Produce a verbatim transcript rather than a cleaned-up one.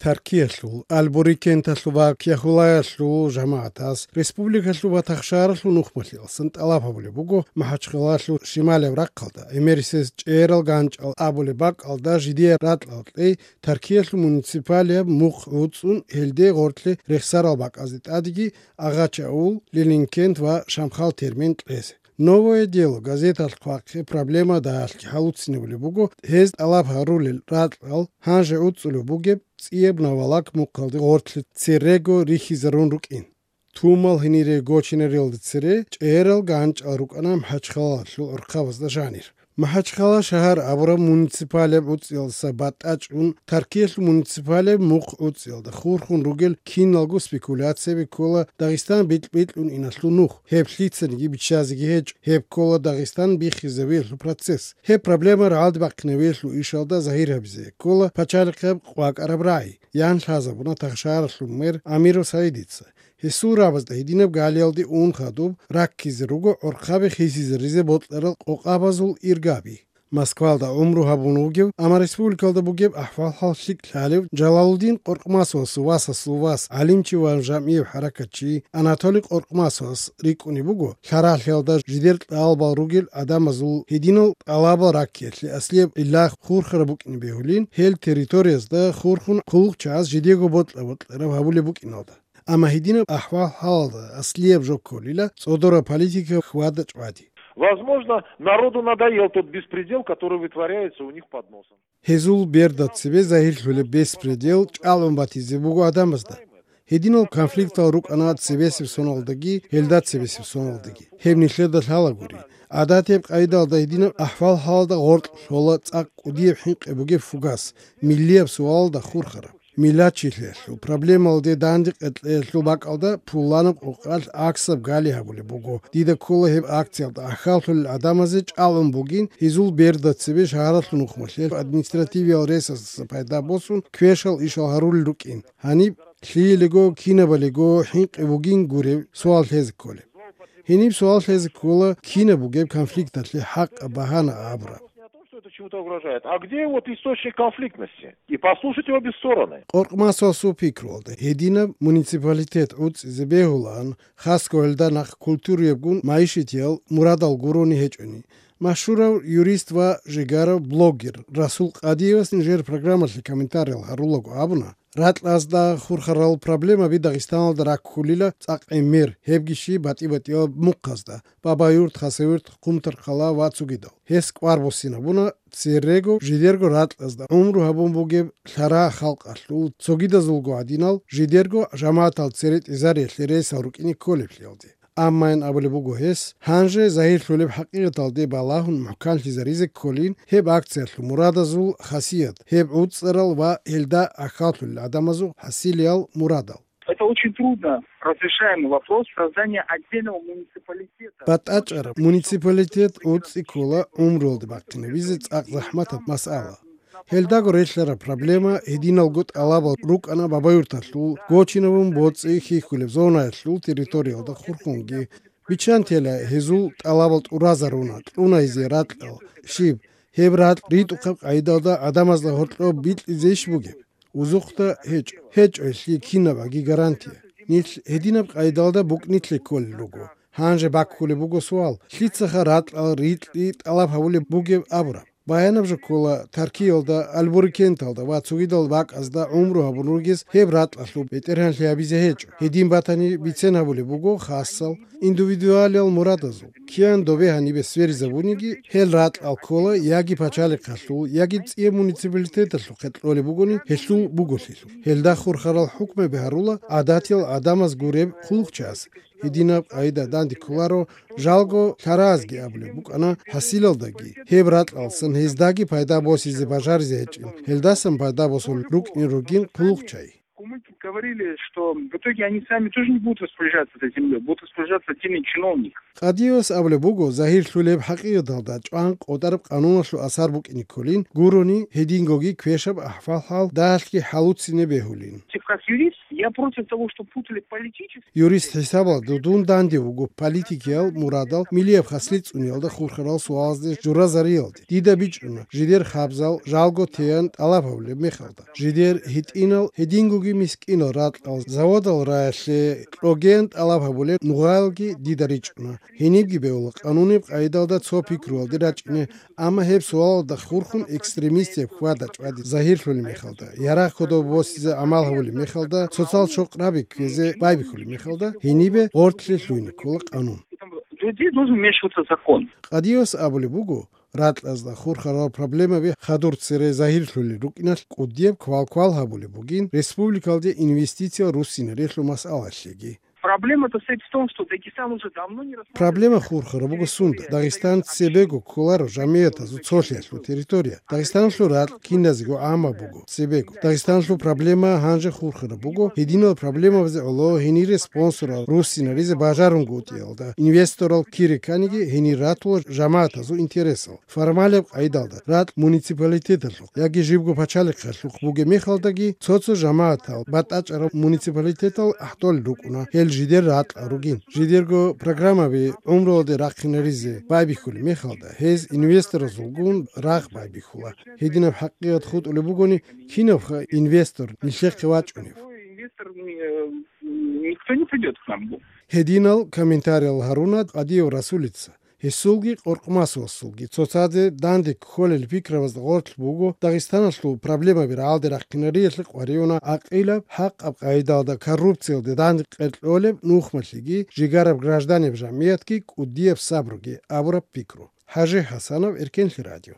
Таркиялъул, Албурикенталъул ва Кяхулаялъул жамагӀатас республикалъул ва тахшаралъул нухмалъиялсан тӀалаб гьабулеб буго МахӀачхъалалъул шималаб рахъалда, гӀемерисез ЧӀерал ГанчӀал абулеб бакӀалда жидеял ракьал кьей, Таркиялъул муниципалияб мухъ гӀуцӀун, гьелде гъоркье рехсарал бакӀазде тӀадеги Агъач-Аул, Лилинкент ва Шамхал термин кьезе. «Новое дело» газеталъ хъвахъе проблема дагьалъги хӀалуцинабулеб буго гьез тӀалаб гьарулел ракьал гьанже гӀуцӀулеб бугеб цӀияб Навалак мухъалде гъоркье церего рихьизарун рукӀин. Тумал гьенире гочинариялда цере ЧӀерал ГанчӀал рукӀана МахӀачхъалалъул гӀурхъабазда жанир. МахӀачхъала шагьар абураб муниципалияб гӀуцӀиялдаса батӀа чӀун, Таркиялъул муниципалияб мухъ гӀуцӀиялда хурхун ругел киналго спекуляцияби ккола Дагъистан бикь-бикьун иналъул нух, гьеб лъицаниги биччазеги гьечӀо, гьеб ккола Дагъистан биххизавиялъул процесс. Гьеб проблема рагӀалде бахъинавиялъул ишалда загьир гьабизе ккола пачалихъаб къвакӀараб рагӀи, ян лъазабуна тахшаралъул мэр Амиров Саидица. Гьесул рабазда гьединаб галиялде ун хадуб раккизе руго гӀорхъаби хисизаризе бокьарал къокъабазул иргаби. Москвалда гӀумру гьабун вугев, амма республикалда бугеб ахӀвал-хӀал лъикӀ лъалев Жалалудин Къоркъмасовасул васасул вас, гӀалимчи ва жамгӀияб хӀаракатчи Анатолий Къоркъмасовас рикӀкӀунеб буго, лъаралъиялда жидер тӀалабал ругел гӀадамазул гьединал тӀалабал раккиялъе аслияб гӀилла хурхараб букӀине бегьулин, гьел территориязда хурхун хъулухъчагӀаз жидего бокьа-бокьараб гьабулеб букӀиналда. Амма гьединаб ахӀвал-хӀалалда аслияб жо кколила цӀодораб политика хьвада-чӀвади. Возможно, народу надоел тот беспредел, который вытворяется у них под носом. Гьезул берда цебе загьирлъулеб беспредел чӀалгӀун батизе буго гӀадамазда. Гьединал конфликтал рукӀана цебесеб соналдаги, гьелда цебесеб соналдаги. Гьеб нилъеда лъалагури. ГӀадатияб къайдалда гьединаб ахӀвал-хӀалалда гъоркь лъола цӀакъ кӀудияб хӀинкъи бугеб фугас, миллияб суалалда хурхараб. Миллатчилъиялъул проблемалде дандекъеялъул бакӀалда пуланаб къокъалъ аксаб гали гьабулеб буго. Дида ккола гьеб акциялда ахӀаллъулел гӀадамазе чӀалгӀун бугин, гьезул берда цебе шагьаралъул нухмалъе административиял ресурсаздаса пайда босун, квешал ишал гьарулел рукӀин. Гьаниб лъиялиго, кинабалиго хӀинкъи бугин гуреб суал лъезе кколеб. Гьениб суал лъезе ккола, кинаб бугеб конфликталъе хӀакъаб багьана абураб. Что это чему-то угрожает? А где вот источник конфликтности? И послушать обе стороны. Къоркъмасовасул пикруялда, гьединаб муниципалитет гӀуцӀизе бегьулаан, хасго гьелда нахъ культуриябгун майишитиял мурадал гурони гьечӀони. Машгьурав юрист ва жигарав блогер Расул Къадиевас нижер программалъе комментариял гьарулаго абуна, ракьазда хурхарал проблемаби Дагъистаналда раккулила цӀакъ гӀемер, гьебги щиб батӀи-батӀияб мухъазда, Бабаюрт, Хасавюрт, Хъумторхъала ва цогидал. Гьес кӀвар буссинабуна церего жидерго ракьазда гӀумру гьабун бугеб лъара халкъалъул цогидазулго гӀадинал жидерго жамагӀатал цере тӀезариялъе рейсал рукӀине кколеблъиялде. Аммаян абулеб буго гьес, гьанже загьирлъулеб хӀакъикъаталде балагьун мухӀканлъизаризе кколин гьеб акциялъул мурадазул хасият, гьеб гӀуцӀарал ва гьелда ахӀаллъулел гӀадамазул хӀасилиял мурадал. Это очень трудно разрешаемый вопрос создания отдельного муниципалитета. БатӀачӀараб муниципалитет гӀуцӀи ккола гӀумруялде бахъинабизе цӀакъ захӀматаб масъала. Гьелдаго релълъараб проблема гьединалго тӀалабал рукӀана Бабаюрталъул гочинабун боцӀи хьихьулеб зонаялъул территориялда хурхунги. Биччан тела гьезул тӀалабал тӀуразаруна, кьуна гьезие ракьал, щиб, гьеб ракь ритӀухъаб къайдалда гӀадамазда гьоркьоб бикьизейищ бугеб? Узухъда гьечӀо. ГьечӀо гьелъие кинабаги гарантия. Нилъ гьединаб къайдалда букӀнилъе кколел руго. Гьанже баккулеб буго суал, лъицаха ракьал ритӀи тӀалаб гьабулеб бугеб абураб? Баянаб жо ккола, Таркиялда, Албурикенталда ва цогидал бакӀазда гӀумру гьабун ругез гьеб ракьалъул бетӀергьанлъи гьабизе гьечӀо. Гьедин батани, бицен гьабулеб буго хасал, индивидуалиял мурадазул. Киян добе гьанибе сверизабуниги, гьел ракьал ккола яги пачалихъалъул, яги цӀияб муниципалитеталъухъе кьолеб бугони, гьелъул буголъилъул. Гьелда хурхарал хӀукмаби гьарула гӀадатиял гӀадамаз гуреб хъулухъчияс. Гьединаб къайда данде кколаро, жалго лъаразги абулеб букӀана хӀасилалдаги, гьеб ракьалсан гьездаги пайда босизе бажаризе гьечӀин, гьелдасан пайда босун рукӀин ругин хъулухъчай. Кумыки говорили, что в итоге они сами тоже не будут распоряжаться этой землей, будут распоряжаться отдельные чиновники. Къадиевас абулеб буго, загьирлъулеб хӀакъикъаталда чӀван къотӀараб къануналъул асар букӀине кколин гурони, гьедингоги квешаб ахӀвал-хӀал дагьалъги хӀалуцине бегьулин. Как юрист, Я против того, что путали политические... Юрист хӀисабалда дун данде вуго политикиял мурадал милияб хаслъи цӀуниялда хурхарал суалазде журазариялде. Дида бичӀчӀуна, жидер хабзал жалго теян тӀалаб гьабулеб мехалда. Жидер гьитӀинал гьедингоги мискӀинал ракьал заводал раялъе кьогеян тӀалаб гьабулеб нугъаялги дида ричӀчӀуна. Гьенибги бегьула къанунеб къайдалда цо пикруялде рачӀине, амма гьеб суалалда хурхун экстремистияб хьвада-чӀвади загьирлъулеб мехалда, ярагъ кодоб босизе гӀамал гьабулеб мехалда, цоцал чокъраби ккезе байбихьулеб мехалда, гьенибе гъортлъи лъугьине ккола къанун. Людей должен вмешиваться закон. Къадиос абулеб буго, ракьазда хурхарал проблемаби хадур цере загьирлъулел рукӀиналъ кӀудияб квал-квал гьабулеб бугин республикалде инвестициял руссинарелъул масъалалъеги. Проблема-то состоит в том, что Дагестан уже давно не рассматривает... Проблема хурхараб буго сунда. Дагъистан цебего кколаро жамиятазул цолъиялъул территория. Дагъистаналъул ракь киназего гӀаммаб буго цебего. Дагъистаналъул проблема гьанже хурхараб буго, гьединал проблемабазе гӀоло гьенире спонсорал руссинаризе бажарунгутӀиялда, инвесторал кире кканиги гьенир ратула жамаятазул интересал. Формалаб къайдалда ракь муниципалитеталъухъ яги жибго пачалихъалъухъ бугеб мехалдаги, цо-цо жамаятал батӀачӀараб муниципалитетал ахӀдолел рукӀуна, гьел жидер ракьал ругин. Жидерго программаби гӀумруялде рахъинаризе байбихьулеб мехалда, гьез инвесторазулгун рагъ байбихьула. Гьединаб хӀакъикъат хутӀулеб бугони, кинабха инвестор нилъехъе вачӀунев? Инвестор, э, никто не придёт к нам. Гьединал комментариял гьаруна Къадиев Расулица. Гьесулги Къоркъмасовасулги цоцазе данде кколел пикрабазда гъорлъ буго, Дагъистаналъул проблемаби рагӀалде рахъинариялъе къваригӀуна гӀакъилаб, хӀакъаб къайдалда коррупциялде данде къеркьолеб нухмалъиги, жигараб гражданиб жамиятги, кӀудияб сабруги абураб пикру. ХӀажи ХӀасанов, Эркенлъи радио.